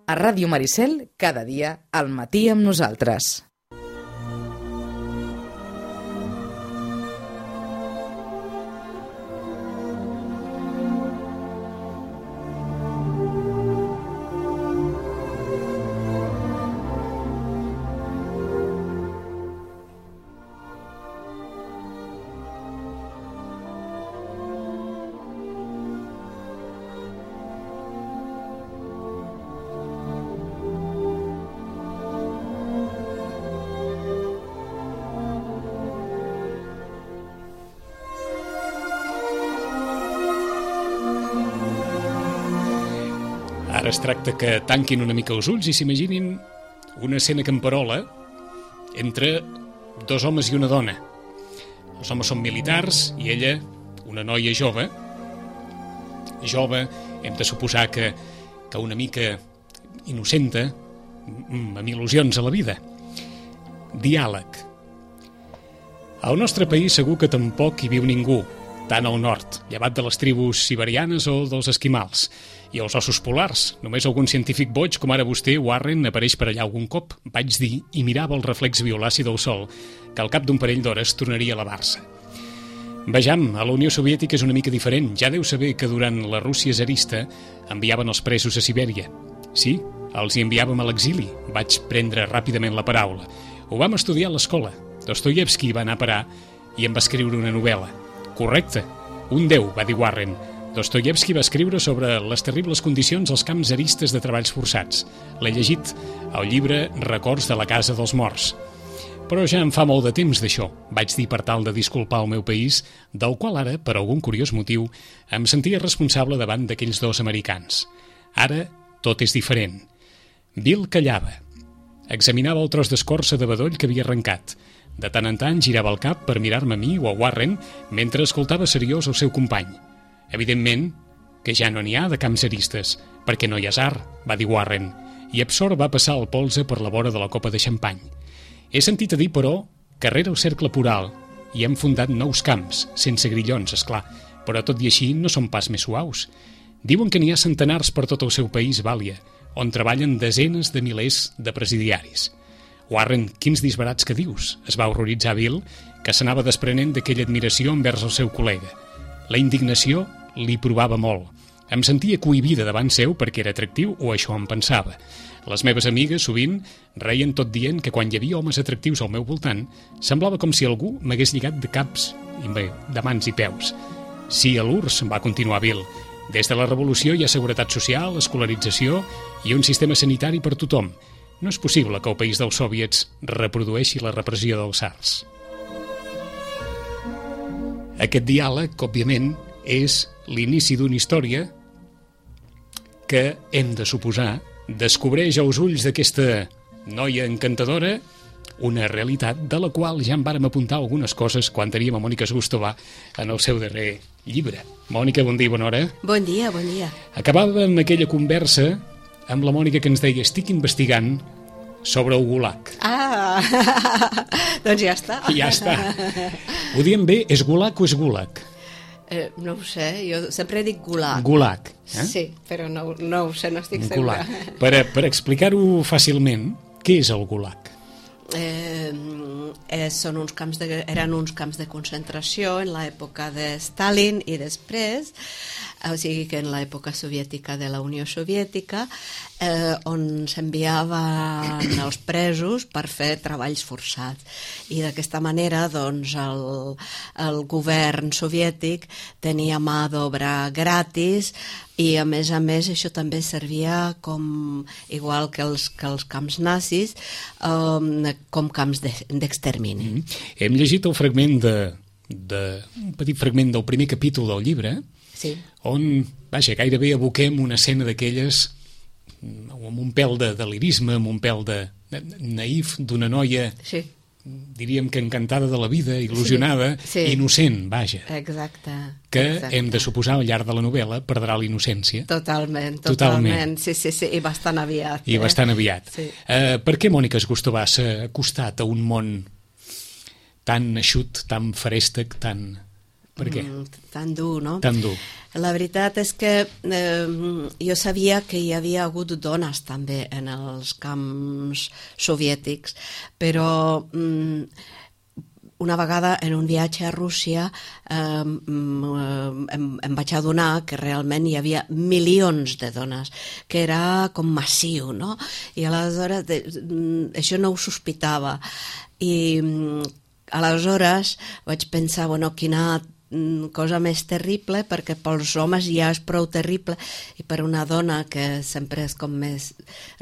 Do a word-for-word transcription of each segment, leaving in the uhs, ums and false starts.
A Ràdio Maricel, cada dia, al matí amb nosaltres. Ara es tracta que tanquin una mica els ulls i s'imaginin una escena camperola entre dos homes i una dona. Els homes són militars i ella, una noia jove. Jove, hem de suposar que, que una mica innocenta, amb il·lusions a la vida. Diàleg. Al nostre país segur que tampoc hi viu ningú, tant al nord, llevat de les tribus siberianes o dels esquimals. I els ossos polars. Només algun científic boig, com ara vostè, Warren, apareix per allà algun cop, vaig dir, i mirava el reflex violaci del sol, que al cap d'un parell d'hores tornaria a elevar-se. Vejam, a la Unió Soviètica és una mica diferent. Ja deu saber que durant la Rússia zarista enviaven els presos a Sibèria. Sí, els hi enviàvem a l'exili. Vaig prendre ràpidament la paraula. Ho vam estudiar a l'escola. Dostoievski va anar a parar i em va escriure una novel·la. Correcte, un déu, va dir Warren. Dostoievski va escriure sobre les terribles condicions als camps zaristes de treballs forçats. L'he llegit al llibre Records de la casa dels morts. Però ja em fa molt de temps d'això, vaig dir per tal de disculpar el meu país, del qual ara, per algun curiós motiu, em sentia responsable davant d'aquells dos americans. Ara tot és diferent. Bill callava. Examinava el tros d'escorça de bedoll que havia arrencat. De tant en tant girava el cap per mirar-me a mi o a Warren mentre escoltava seriós el seu company. Evidentment que ja no n'hi ha de camps zaristes, perquè no hi ha tsar, va dir Warren, i absort va passar el polze per la vora de la copa de xampany. He sentit a dir, però, que rere el cercle poral hi hem fundat nous camps, sense grillons, és clar, però tot i així no són pas més suaus. Diuen que n'hi ha centenars per tot el seu país, Vàlia, on treballen desenes de milers de presidiaris. Warren, quins disbarats que dius? Es va horroritzar Bill, que s'anava desprenent d'aquella admiració envers el seu col·lega. La indignació li provava molt. Em sentia cohibida davant seu perquè era atractiu, o això em pensava. Les meves amigues, sovint, reien tot dient que quan hi havia homes atractius al meu voltant, semblava com si algú m'hagués lligat de caps, i bé, de mans i peus. Sí, a l'U R S S, va continuar Bill. Des de la revolució hi ha seguretat social, escolarització i un sistema sanitari per tothom. No és possible que el país dels soviets reprodueixi la repressió dels tsars. Aquest diàleg, òbviament, és l'inici d'una història que, hem de suposar, descobreix als ulls d'aquesta noia encantadora una realitat de la qual ja en vàrem apuntar algunes coses quan teníem a Mònica Zgustova en el seu darrer llibre. Mònica, bon dia i bona hora. Bon dia, bon dia. Acabàvem aquella conversa amb la Mònica que ens deia estic investigant sobre el Gulag. Ah, doncs ja està. Ja està. Ho diem bé, és Gulag o és Gulag? Eh, no ho sé, jo sempre dic Gulag. Gulag, eh? Sí, però no, no ho sé, no estic segura. Gulag. Per, per explicar-ho fàcilment, què és el Gulag? Eh, eh, són uns camps de, eren uns camps de concentració en l'època de Stalin i després, o sigui que en l'època soviètica de la Unió Soviètica, eh, on s'enviaven els presos per fer treballs forçats. I d'aquesta manera doncs, el, el govern soviètic tenia mà d'obra gratis i a més a més això també servia com, igual que els, que els camps nazis, um, com camps d'extermini. De, mm. Hem llegit el fragment de, de, un petit fragment del primer capítol del llibre, sí, on, vaja, gairebé aboquem una escena d'aquelles amb un pèl de delirisme, amb un pèl de, de naïf d'una noia, sí, diríem que encantada de la vida, il·lusionada, sí, sí, innocent, vaja. Exacte. Que exacte. Hem de suposar al llarg de la novel·la perdrà la innocència. Totalment, totalment, totalment. Sí, sí, sí, i bastant aviat. I eh? bastant aviat. Sí. Uh, per què Mònica Zgustova s'ha acostat a un món tan eixut, tan ferèstec, tan... Per què? Mm, tan dur, no? Tan dur. La veritat és que eh, jo sabia que hi havia hagut dones també en els camps soviètics, però mm, una vegada en un viatge a Rússia eh, em, em vaig adonar que realment hi havia milions de dones, que era com massiu, no? I aleshores de, això no ho sospitava. I aleshores vaig pensar, bueno, quina cosa més terrible, perquè pels homes ja és prou terrible, i per una dona que sempre és com més,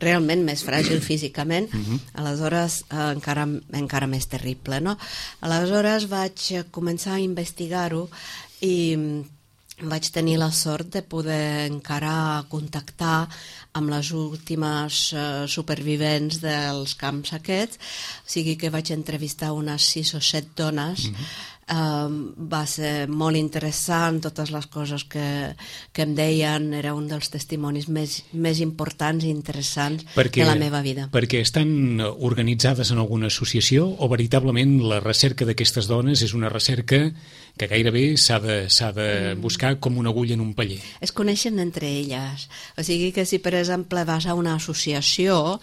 realment més fràgil físicament, uh-huh. aleshores eh, encara, encara més terrible, no? Aleshores vaig començar a investigar-ho i vaig tenir la sort de poder encara contactar amb les últimes uh, supervivents dels camps aquests, o sigui que vaig entrevistar unes sis o set dones. Mm-hmm. Um, va ser molt interessant, totes les coses que, que em deien, era un dels testimonis més, més importants i interessants perquè, de la meva vida. Perquè estan organitzades en alguna associació o veritablement la recerca d'aquestes dones és una recerca que gairebé s'ha de, s'ha de buscar com una agulla en un paller? Es coneixen entre elles, o sigui que si per exemple vas a una associació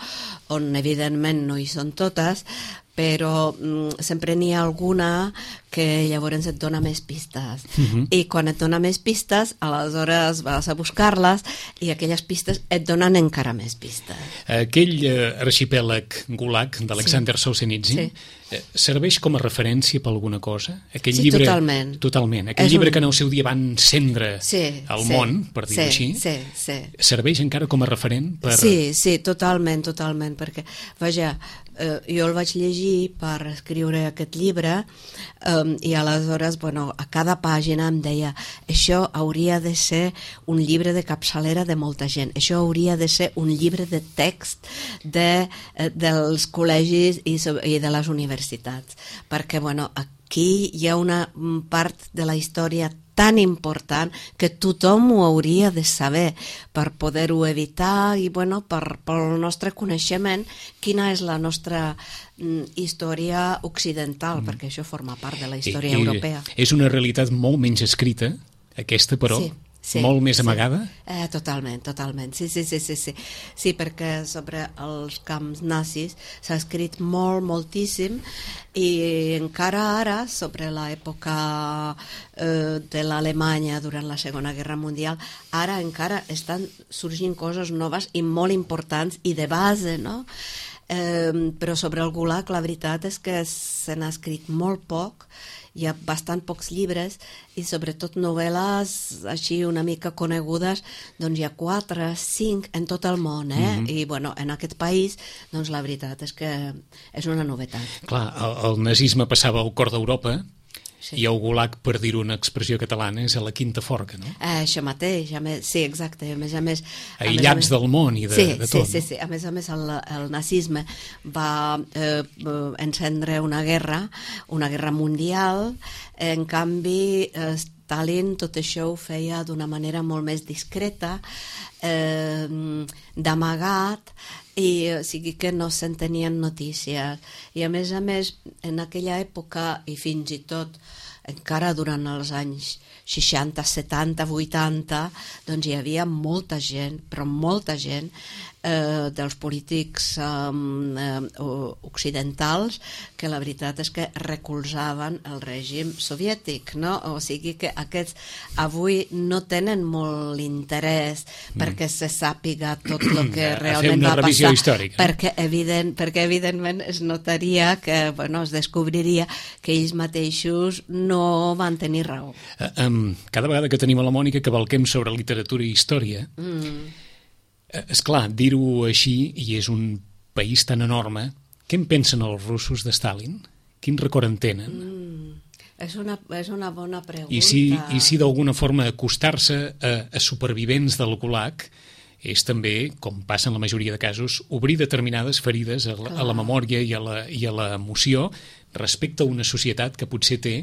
on evidentment no hi són totes, però mm, sempre n'hi ha alguna que llavors et dona més pistes. Uh-huh. I quan et dona més pistes, aleshores vas a buscar-les i aquelles pistes et donen encara més pistes. Aquell eh, arxipèlag Gulag d'Alexander sí. Solzhenitsyn sí. eh, serveix com a referència per alguna cosa? Aquell sí, llibre, totalment. Totalment. Aquell és llibre un... que en el seu dia van encendre sí, el sí, món, per dir-ho sí, així, sí, sí. serveix encara com a referent? Per... Sí, sí, totalment, totalment, perquè, vaja, eh, jo el vaig llegir per escriure aquest llibre eh, i aleshores, bueno, a cada pàgina em deia això hauria de ser un llibre de capçalera de molta gent, això hauria de ser un llibre de text de, eh, dels col·legis i, i de les universitats, perquè, bueno, aquí hi ha una part de la història tan important que tothom ho hauria de saber per poder-ho evitar i bueno, per, pel nostre coneixement quina és la nostra mm, història occidental, mm. perquè això forma part de la història I, europea. I és una realitat molt menys escrita, aquesta, però... Sí. Sí, molt més amagada? Sí. Eh, totalment, totalment. Sí, sí, sí, sí, sí. Sí, perquè sobre els camps nazis s'ha escrit molt, moltíssim i encara ara, sobre l'època eh, de l'Alemanya durant la Segona Guerra Mundial, ara encara estan sorgint coses noves i molt importants i de base, no? Eh, però sobre el Gulag la veritat és que se n'ha escrit molt poc, hi ha bastant pocs llibres i sobretot novel·les així una mica conegudes, doncs hi ha quatre, cinc en tot el món, eh? Mm-hmm. I bueno, en aquest país, doncs la veritat és que és una novetat. Clar, el, el nazisme passava al cor d'Europa, sí. I el Gulag, per dir-ho una expressió catalana, és a la quinta forca, no? Eh, això mateix, a més, sí, exacte, a més a més... A Aïllats més, a més, del món i de, sí, de tot. Sí, sí, sí, a més a més el, el nazisme va eh, encendre una guerra, una guerra mundial, en canvi eh, Stalin tot això ho feia d'una manera molt més discreta, eh, d'amagat, i o sigui que no se'n tenien notícies. I a més a més, en aquella època, i fins i tot encara durant els anys seixanta, setanta, vuitanta, doncs hi havia molta gent, però molta gent, eh, dels polítics eh, occidentals que la veritat és que recolzaven el règim soviètic, no? O sigui que aquests avui no tenen molt interès mm. perquè se sàpiga tot el que realment va passar, històrica. perquè, evident, perquè evidentment es notaria que, bueno, es descobriria que ells mateixos no van tenir raó. Uh, um, cada vegada que tenim a la Mònica que valquem sobre literatura i història, mm. és clar, dir-ho així, i és un país tan enorme, què en pensen els russos de Stalin? Quin record en tenen? Mm, és, una, és una bona pregunta. I si, i si d'alguna forma acostar-se a, a supervivents del Gulag és també, com passa en la majoria de casos, obrir determinades ferides a la, a la memòria i a la, i a l'emoció respecte a una societat que potser té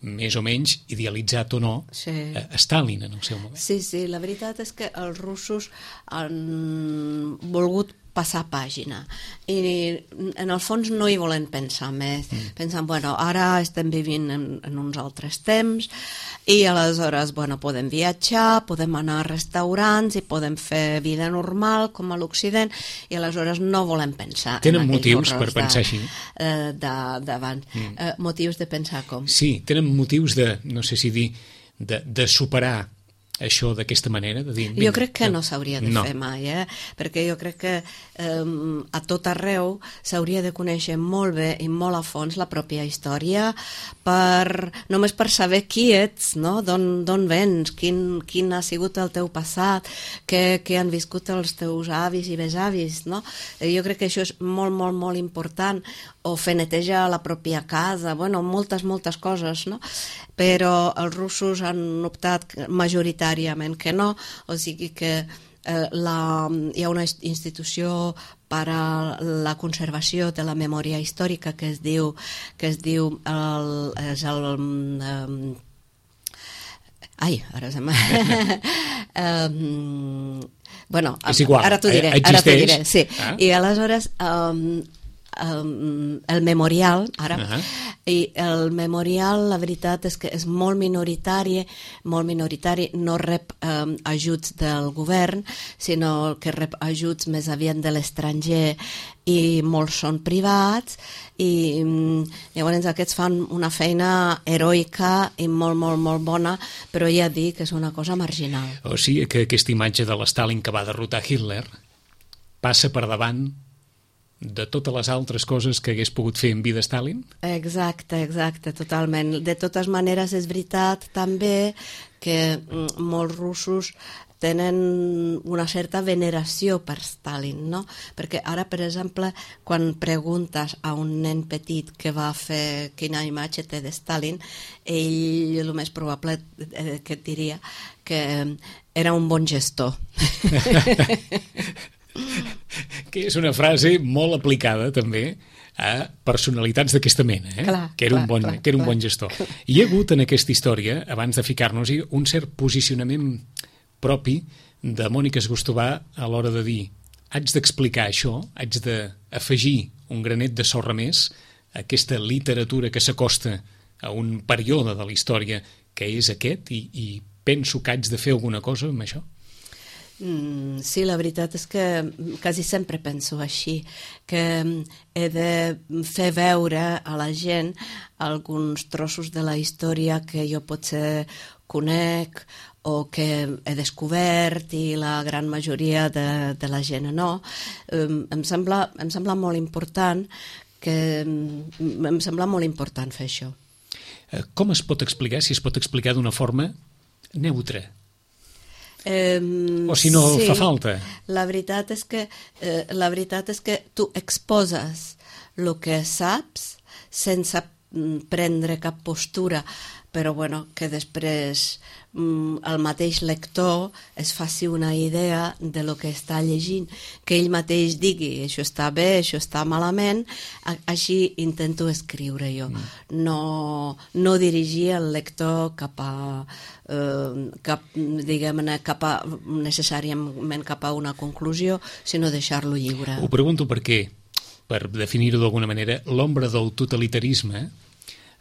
més o menys, idealitzat o no, sí. a Stalin en el seu moment. Sí, sí, la veritat és que els russos han volgut passar pàgina. I en el fons no hi volen pensar més. Mm. Pensant, bueno, ara estem vivint en, en uns altres temps i aleshores, bueno, podem viatjar, podem anar a restaurants i podem fer vida normal com a l'Occident i aleshores no volem pensar. Tenen motius per pensar així? Eh, d'abans. Mm. Eh, motius de pensar com? Sí, tenen motius de, no sé si dir, de, de superar això d'aquesta manera? De dir, vinga, jo crec que no s'hauria de no. fer mai, eh? Perquè jo crec que eh, a tot arreu s'hauria de conèixer molt bé i molt a fons la pròpia història, per, només per saber qui ets, no? D'on vens, quin, quin ha sigut el teu passat, què, què han viscut els teus avis i besavis, no? Jo crec que això és molt, molt, molt important, o fer neteja a la pròpia casa, bueno, moltes, moltes coses, no? Però els russos han optat majoritàriament que no, o sigui que eh, la, hi ha una institució per a la conservació de la memòria històrica que es diu, que es diu el, és el... Um, ai, ara se m'ha... um, bueno, és igual, ara t'ho diré, existeix. Ara t'ho diré, sí. Ah. I aleshores... Um, Um, el memorial ara uh -huh. i el memorial la veritat és que és molt minoritari molt minoritari, no rep um, ajuts del govern sinó que rep ajuts més aviat de l'estranger i molts són privats i um, llavors aquests fan una feina heroica i molt molt molt bona, però ja dic que és una cosa marginal. O sigui que aquesta imatge de l'Stalin que va derrotar Hitler passa per davant de totes les altres coses que hagués pogut fer en vida Stalin? Exacte, exacte, totalment. De totes maneres, és veritat també que molts russos tenen una certa veneració per Stalin, no? Perquè ara, per exemple, quan preguntes a un nen petit que va fer quina imatge té de Stalin, ell el més probable que et diria que era un bon gestor. Que és una frase molt aplicada també a personalitats d'aquesta mena, eh? Clar, que era, clar, un, bon, clar, que era un clar. bon gestor. Hi ha hagut en aquesta història, abans de ficar-nos-hi, un cert posicionament propi de Mònica Esgostovà a l'hora de dir haig d'explicar això, haig d'afegir un granet de sorra més a aquesta literatura que s'acosta a un període de la història que és aquest i, i penso que haig de fer alguna cosa amb això? Sí, la veritat és que quasi sempre penso així, que he de fer veure a la gent alguns trossos de la història que jo potser conec o que he descobert i la gran majoria de, de la gent no. Em sembla, em sembla molt important que em sembla molt important fer això. Com es pot explicar, si es pot explicar d'una forma neutra? Um, o si no sí, fa falta. La veritat és que eh, la veritat és que tu exposes el que saps sense prendre cap postura, però bueno, que després mm, el mateix lector es faci una idea de lo que està llegint, que ell mateix digui això està bé, això està malament, així intento escriure jo, mm. no, no dirigir el lector cap a eh, cap, diguem-ne, cap a necessàriament cap a una conclusió, sinó deixar-lo lliure. Ho pregunto perquè, per definir-ho d'alguna manera, l'ombra del totalitarisme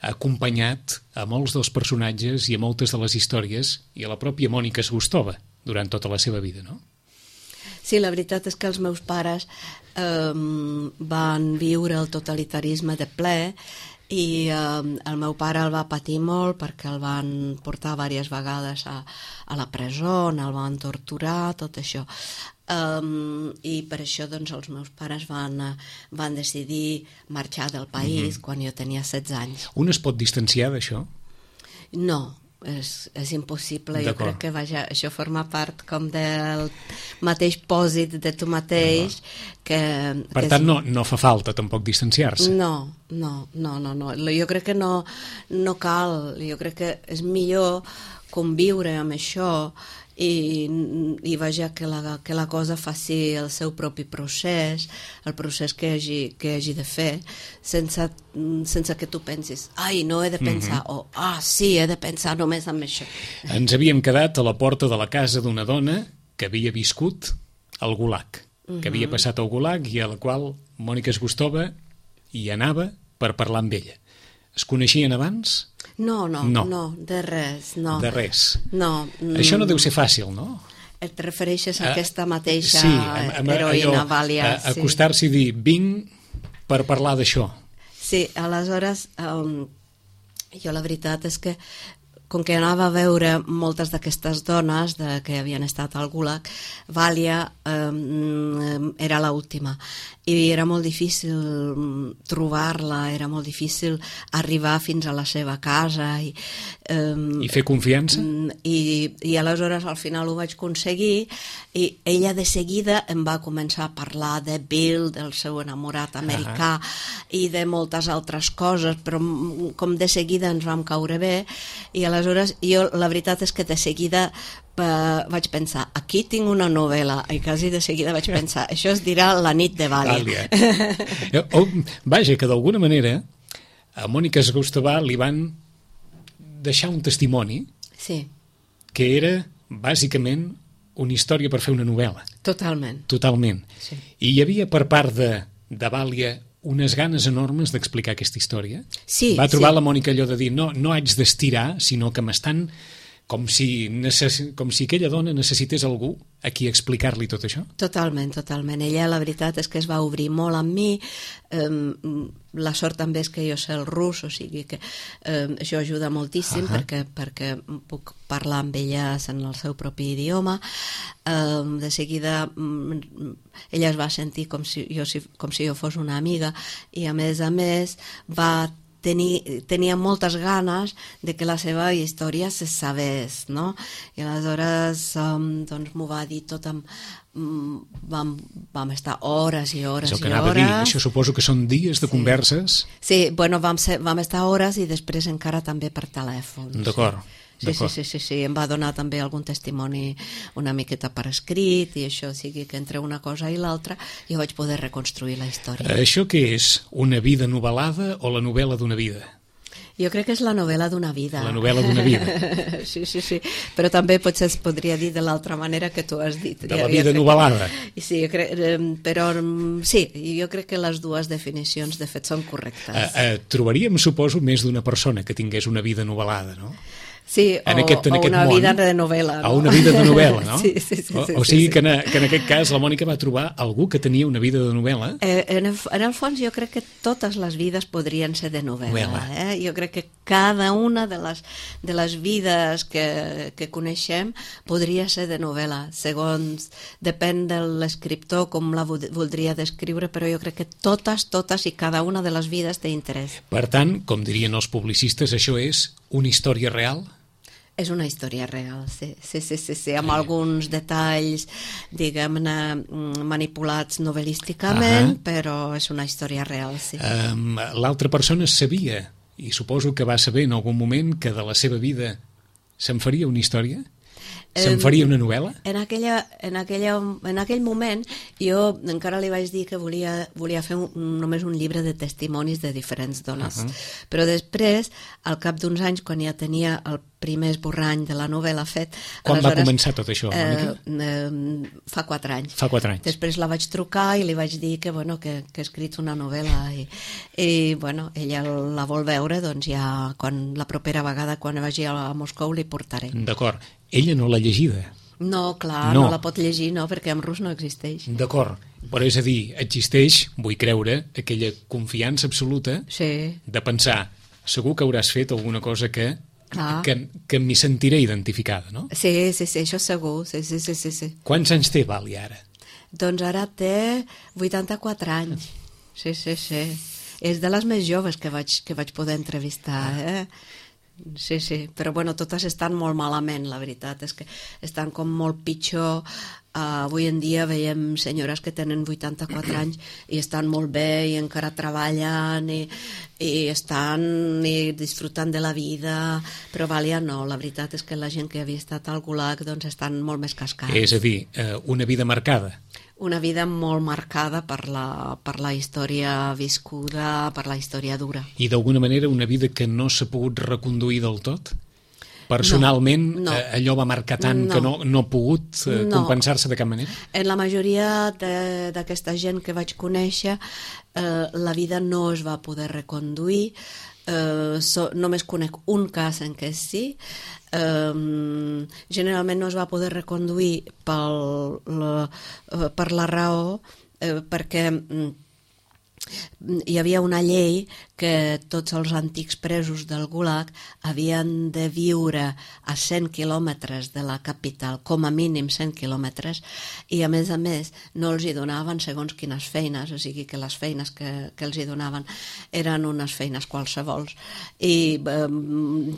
ha acompanyat a molts dels personatges i a moltes de les històries i a la pròpia Mònica Esgostovà durant tota la seva vida, no? Sí, la veritat és que els meus pares eh, van viure el totalitarisme de ple i eh, el meu pare el va patir molt perquè el van portar diverses vegades a, a la presó, el van torturar, tot això. Um, i per això doncs els meus pares van, van decidir marxar del país mm-hmm. quan jo tenia setze anys. Un es pot distanciar d'això? No, és, és impossible. Jo crec que vaja, això forma part com del mateix pòsit de tu mateix. Que, per que tant, és... no, no fa falta tampoc distanciar-se. No, no, no, no, no. Jo crec que no, no cal. Jo crec que és millor conviure amb això i, i vaja que la, que la cosa faci el seu propi procés, el procés que hagi, que hagi de fer, sense, sense que tu pensis, ai, no he de pensar, mm-hmm. o ah, sí, he de pensar només en això. Ens havíem quedat a la porta de la casa d'una dona que havia viscut al Gulag. que havia passat al Gulag i a la qual Mònica Esgostova hi anava per parlar amb ella. Es coneixien abans? No, no, No. no, de res, no. De res. No. Això no mm, deu ser fàcil, no? Et refereixes a Ah, aquesta mateixa sí, amb- amb heroïna allò, Vàlia. a- acostar-s'hi i dir, vinc per parlar d'això. Sí, aleshores, um, jo la veritat és que com que anava a veure moltes d'aquestes dones de, que havien estat al Gulag, Vàlia um, era l'última. I era molt difícil trobar-la, era molt difícil arribar fins a la seva casa. I, um, I fer confiança? i, i aleshores al final ho vaig aconseguir i ella de seguida em va començar a parlar de Bill, del seu enamorat americà uh -huh. i de moltes altres coses, però com de seguida ens vam caure bé i aleshores jo la veritat és que de seguida Uh, vaig pensar, aquí tinc una novel·la i quasi de seguida vaig pensar, això es dirà La nit de Vàlia. oh, vaja, que d'alguna manera a Mònica Esgostova li van deixar un testimoni Sí, que era bàsicament una història per fer una novel·la, totalment. totalment. Sí. I hi havia per part de, de Vàlia unes ganes enormes d'explicar aquesta història. Sí, va trobar sí. la Mònica allò de dir, no, no haig d'estirar, sinó que m'estan com si, necess... com si aquella dona necessités algú a qui explicar-li tot això. Totalment, totalment. Ella, la veritat és que es va obrir molt amb mi. Um, la sort també és que jo sé el rus, o sigui que um, això ajuda moltíssim Uh-huh. perquè, perquè puc parlar amb elles en el seu propi idioma. Um, de seguida um, ella es va sentir com si jo, si, com si jo fos una amiga i a més a més va Tenia, tenia moltes ganes de que la seva història se sabés, no? I aleshores um, doncs m'ho va dir tot amb... Um, vam, vam estar hores i hores Això que i anava hores. a dir, això suposo que són dies de Sí. converses. Sí, bueno, vam, ser, vam estar hores i després encara també per telèfon. D'acord. Sí, sí, sí, sí, sí, em va donar també algun testimoni una miqueta per escrit i això, o sigui que entre una cosa i l'altra jo vaig poder reconstruir la història. Això què és? Una vida novel·lada o la novel·la d'una vida? Jo crec que és la novel·la d'una vida. La novel·la d'una vida. Sí, sí, sí, però també potser es podria dir de l'altra manera que tu has dit. De la vida novel·lada. Sí, jo crec, però sí, jo crec que les dues definicions de fet són correctes. Eh, eh, trobaríem, suposo, més d'una persona que tingués una vida novel·lada, no? Sí, o, en aquest, en o aquest una món, vida de novel·la. No? O una vida de novel·la, no? Sí, sí, sí. O, sí, o sigui sí, que, sí. en, que en aquest cas la Mònica va trobar algú que tenia una vida de novel·la. Eh, en, el, en el fons jo crec que totes les vides podrien ser de novel·la. Novel·la. Eh? Jo crec que cada una de les, de les vides que, que coneixem podria ser de novel·la. Segons, depèn de l'escriptor com la voldria descriure, però jo crec que totes, totes i cada una de les vides té interès. Per tant, com dirien els publicistes, això és una història real? És una història real, sí, sí, sí, sí, sí amb alguns detalls, diguem-ne, manipulats novel·lísticament, uh-huh. però és una història real, sí. Um, L'altra persona sabia, i suposo que va saber en algun moment, que de la seva vida se'n faria una història? Se'n faria una novel·la? En, aquella, en, aquella, en aquell moment jo encara li vaig dir que volia, volia fer un, només un llibre de testimonis de diferents dones. Uh-huh. Però després, al cap d'uns anys, quan ja tenia el primer esborrany de la novel·la fet... Quan va començar tot això, Mònica? Eh, eh, fa quatre anys. Fa quatre anys. Després la vaig trucar i li vaig dir que, bueno, que, que he escrit una novel·la i, i bueno, ella la vol veure, doncs ja quan, la propera vegada quan vagi a Moscou li portaré. D'acord. Ella no l'ha llegida. No, clar, no. no la pot llegir, no, perquè en rus no existeix. D'acord, però és a dir, existeix, vull creure, aquella confiança absoluta sí. de pensar, segur que hauràs fet alguna cosa que, ah. que, que m'hi sentiré identificada, no? Sí, sí, sí, això segur, sí, sí, sí, sí, sí. Quants anys té Vàlia ara? Doncs ara té vuitanta-quatre anys, sí, sí, sí. És de les més joves que vaig, que vaig poder entrevistar, eh? Sí, sí, però bueno, totes estan molt malament, la veritat és que estan com molt pitjor. Uh, avui en dia veiem senyores que tenen vuitanta-quatre anys i estan molt bé i encara treballen i, i estan i disfrutant de la vida, però Vàlia no, la veritat és que la gent que havia estat al Gulag doncs estan molt més cascats. És a dir, uh, una vida marcada. Una vida molt marcada per la, per la història viscuda, per la història dura. I d'alguna manera una vida que no s'ha pogut reconduir del tot? personalment no, no. allò va marcar tant no. que no, no ha pogut no. compensar-se de cap manera? En la majoria d'aquesta gent que vaig conèixer, eh, la vida no es va poder reconduir. Uh, so, només conec un cas en què sí. Uh, generalment no es va poder reconduir pel, la, uh, per la raó uh, perquè um, hi havia una llei que tots els antics presos del Gulag havien de viure a cent quilòmetres de la capital, com a mínim cent quilòmetres, i a més a més no els hi donaven segons quines feines, o sigui que les feines que, que els hi donaven eren unes feines qualsevols i eh,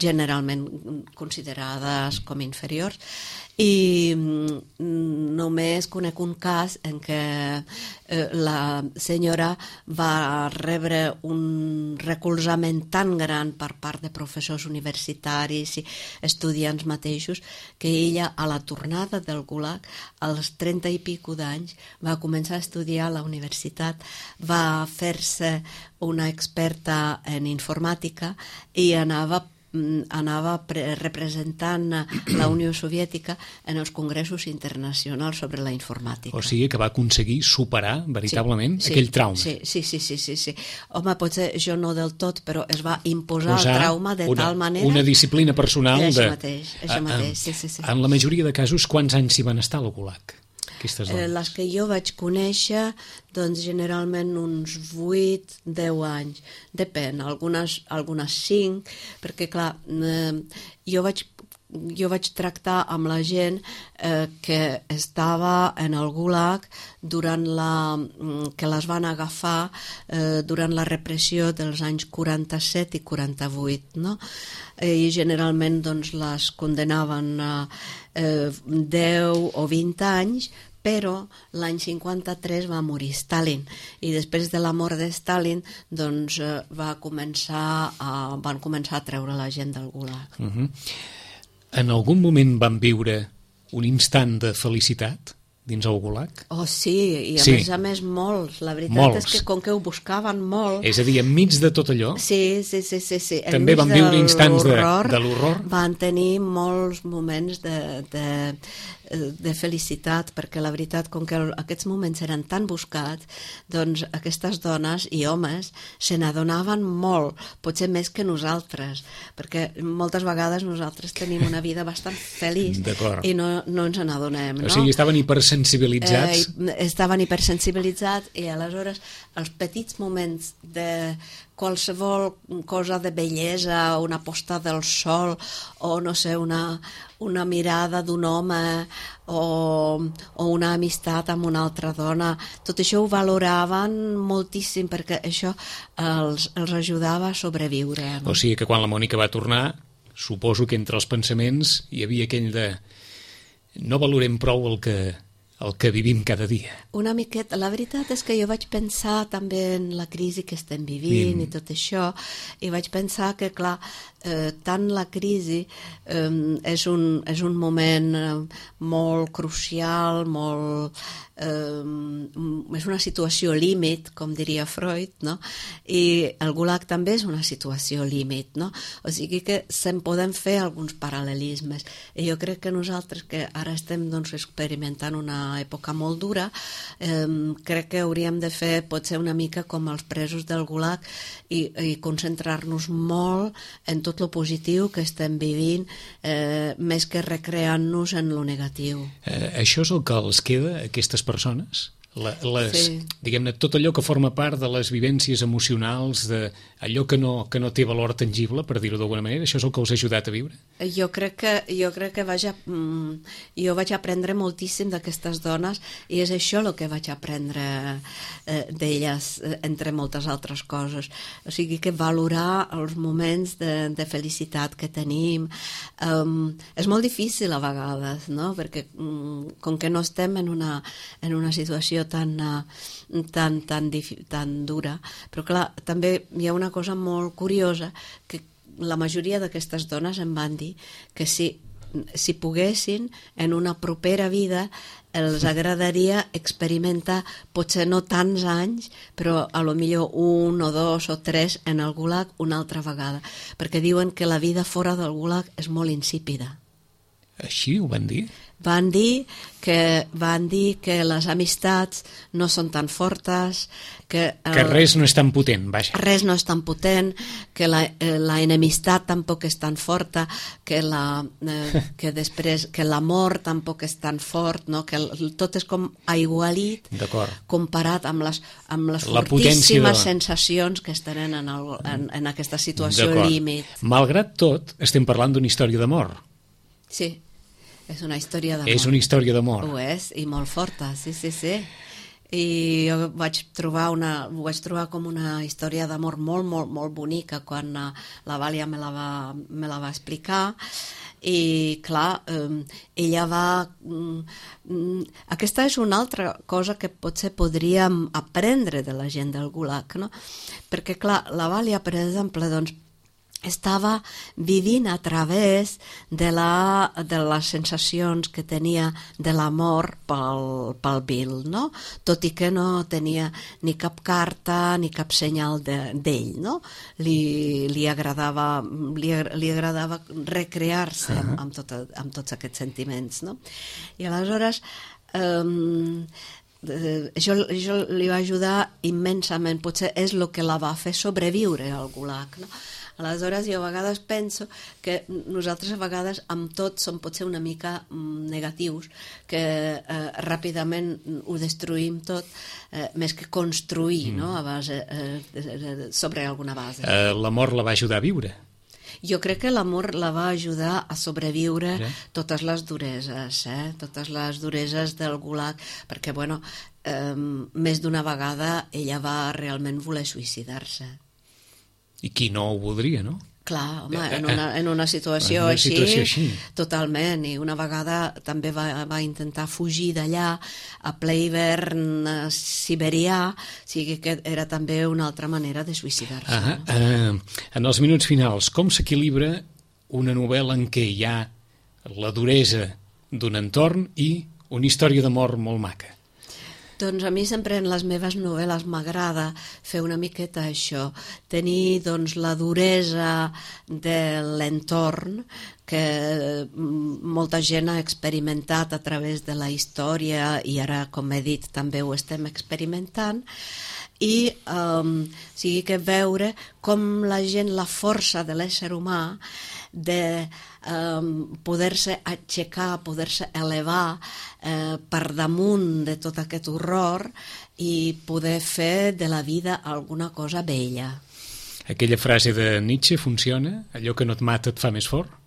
generalment considerades com inferiors. I només conec un cas en què eh, la senyora va rebre un recolzament tan gran per part de professors universitaris i estudiants mateixos que ella, a la tornada del Gulag, als trenta i pico d'anys, va començar a estudiar a la universitat, va fer-se una experta en informàtica i anava anava representant la Unió Soviètica en els congressos internacionals sobre la informàtica. O sigui que va aconseguir superar veritablement sí, aquell sí, trauma. Sí, sí, sí, sí, sí, sí. Home, potser jo no del tot, però es va imposar Posar el trauma de una, tal manera... Una disciplina personal això de... mateix, això mateix, sí, sí, sí. En la majoria de casos, quants anys s'hi van estar al Gulag? Eh, les que jo vaig conèixer, doncs generalment uns vuit, deu anys. Depèn, algunes, algunes cinc, perquè clar, eh, jo vaig jo vaig tractar amb la gent eh, que estava en el Gulag durant la, que les van agafar eh, durant la repressió dels anys quaranta-set i quaranta-vuit, no? I generalment doncs, les condenaven a eh, deu o vint anys, però l'any cinquanta-tres va morir Stalin i després de la mort de Stalin doncs, eh, va començar a, van començar a treure la gent del Gulag. Uh-huh. En algun moment van viure un instant de felicitat dins el Gulag? Oh, sí, i a sí. més a més molts. La veritat molts. És que com que ho buscaven molt... És a dir, enmig de tot allò, sí, sí, sí, sí, sí. també van viure instants de, de l'horror? Van tenir molts moments de, de, de felicitat, perquè la veritat, com que aquests moments eren tan buscats, doncs aquestes dones i homes se n'adonaven molt, potser més que nosaltres, perquè moltes vegades nosaltres tenim una vida bastant feliç i no, no ens n'adonem, no? O sigui, estaven hipersensibilitzats. Eh, estaven hipersensibilitzats i aleshores els petits moments de qualsevol cosa de bellesa, una posta del sol o no sé, una, una mirada d'un home o, o una amistat amb una altra dona, tot això ho valoraven moltíssim perquè això els, els ajudava a sobreviure, no? O sigui que quan la Mònica va tornar, suposo que entre els pensaments hi havia aquell de no valorem prou el que el que vivim cada dia. Una miqueta. La veritat és que jo vaig pensar també en la crisi que estem vivint mm. i tot això, i vaig pensar que, clar, eh, tant la crisi eh, és, un, és un moment eh, molt crucial, molt... Eh, és una situació límit, com diria Freud, no? I el Gulag també és una situació límit, no? O sigui que se'n poden fer alguns paral·lelismes. I jo crec que nosaltres, que ara estem doncs, experimentant una època molt dura, eh, crec que hauríem de fer potser una mica com els presos del Gulag i, i concentrar-nos molt en tot lo positiu que estem vivint, eh, més que recreant-nos en lo negatiu. Eh, això és el que els queda a aquestes persones? La, les, sí. diguem-ne, tot allò que forma part de les vivències emocionals, de allò que no, que no té valor tangible, per dir-ho d'alguna manera, això és el que us ha ajudat a viure? Jo crec que, jo crec que vaig a, jo vaig aprendre moltíssim d'aquestes dones i és això el que vaig aprendre eh, d'elles, entre moltes altres coses. O sigui que valorar els moments de, de felicitat que tenim um, és molt difícil a vegades, no? Perquè um, com que no estem en una, en una situació tan, uh, tan, tan, tan dura, però clar, també hi ha una cosa molt curiosa, que la majoria d'aquestes dones em van dir que si si poguessin, en una propera vida els agradaria experimentar, potser no tants anys, però a lo millor un o dos o tres en el Gulag una altra vegada, perquè diuen que la vida fora del Gulag és molt insípida. Així ho van dir? Van dir que, van dir que les amistats no són tan fortes, que, el, que res no és tan potent, vaja. Res no és tan potent, que la, eh, la enemistat tampoc és tan forta, que, la, eh, que després que l'amor tampoc és tan fort, no? Que el, tot és com aigualit comparat amb les, amb les fortíssimes de... sensacions que es tenen en, el, en, en aquesta situació límit. Malgrat tot, estem parlant d'una història d'amor. Sí, és una història d'amor. És una història d'amor. Ho és, i molt forta, sí, sí, sí. I jo vaig trobar, una, ho vaig trobar com una història d'amor molt, molt, molt bonica quan la Vàlia me la va, me la va explicar. I clar, eh, ella va... Mm, aquesta és una altra cosa que potser podríem aprendre de la gent del Gulag, no? Perquè clar, la Vàlia, per exemple, doncs, estava vivint a través de, la, de les sensacions que tenia de l'amor pel, pel Bill, no? Tot i que no tenia ni cap carta ni cap senyal d'ell, de, no? Li, li agradava, li, li agradava recrear-se amb, amb, tot, amb tots aquests sentiments, no? I aleshores... Um, això, això li va ajudar immensament, potser és el que la va fer sobreviure al Gulag, no? Aleshores jo a vegades penso que nosaltres a vegades amb tot som potser una mica negatius, que eh, ràpidament ho destruïm tot, eh, més que construir, mm. no? A base, eh, sobre alguna base. Eh, l'amor la va ajudar a viure? Jo crec que l'amor la va ajudar a sobreviure sí. totes les dureses, eh? totes les dureses del Gulag, perquè, bueno, eh, més d'una vegada ella va realment voler suïcidar-se. I qui no ho voldria, no? Clar, home, en una, en una situació, una així, situació així, totalment, i una vegada també va, va intentar fugir d'allà a ple hivern siberià, o sigui que era també una altra manera de suïcidar-se. Ah, eh, en els minuts finals, com s'equilibra una novel·la en què hi ha la duresa d'un entorn i una història d'amor molt maca? Doncs a mi sempre en les meves novel·les m'agrada fer una miqueta això, tenir doncs la duresa de l'entorn que molta gent ha experimentat a través de la història i ara, com he dit, també ho estem experimentant, i um, o sigui que veure com la gent, la força de l'ésser humà de um, poder-se aixecar, poder-se elevar eh, per damunt de tot aquest horror i poder fer de la vida alguna cosa bella. Aquella frase de Nietzsche funciona? Allò que no et mata et fa més fort?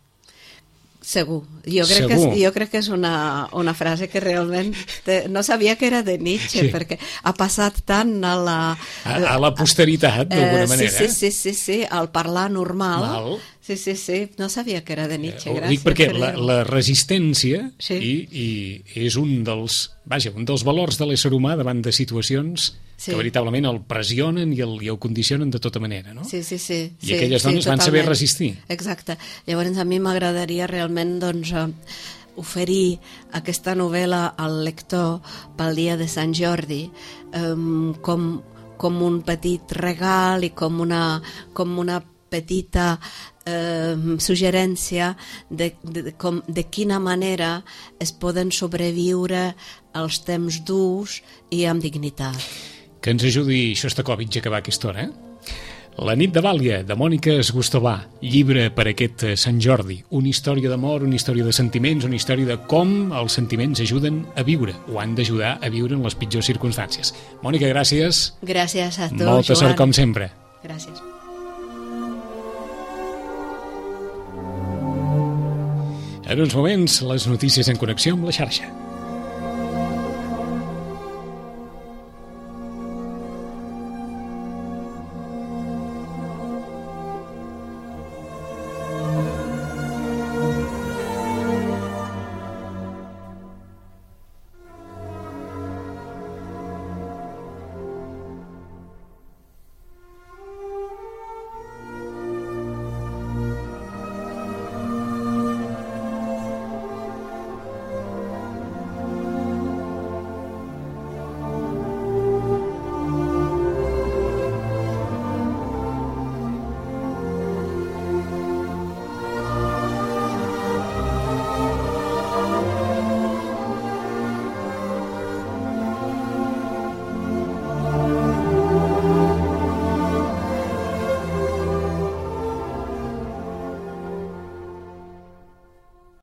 Segur. Jo crec, Segur. Que, és, jo crec que és una, una frase que realment... Te, no sabia que era de Nietzsche, sí. perquè ha passat tant a la... A, a la posteritat, d'alguna eh, manera. Sí, sí, sí, sí, al parlar normal. Mal. Sí, sí, sí. No sabia que era de Nietzsche, eh, gràcies. Dic perquè la, la resistència sí. i, i és un dels, vaja, un dels valors de l'ésser humà davant de situacions sí. que veritablement el pressionen i el, i el condicionen de tota manera, no? Sí, sí, sí. I sí, aquelles dones sí, van saber resistir. Exacte. Llavors a mi m'agradaria realment, doncs, oferir aquesta novel·la al lector pel dia de Sant Jordi um, com, com un petit regal i com una, com una petita eh, suggerència de, de, de, com, de quina manera es poden sobreviure els temps durs i amb dignitat. Que ens ajudi Xostakóvitx a acabar aquesta hora, eh? La nit de Vàlia, de Mònica Esgustovà, llibre per aquest Sant Jordi, una història d'amor, una història de sentiments, una història de com els sentiments ajuden a viure, o han d'ajudar a viure en les pitjors circumstàncies. Mònica, gràcies. Gràcies a tu, Molta Joan. sort, com sempre. Gràcies. En uns moments, les notícies en connexió amb la xarxa.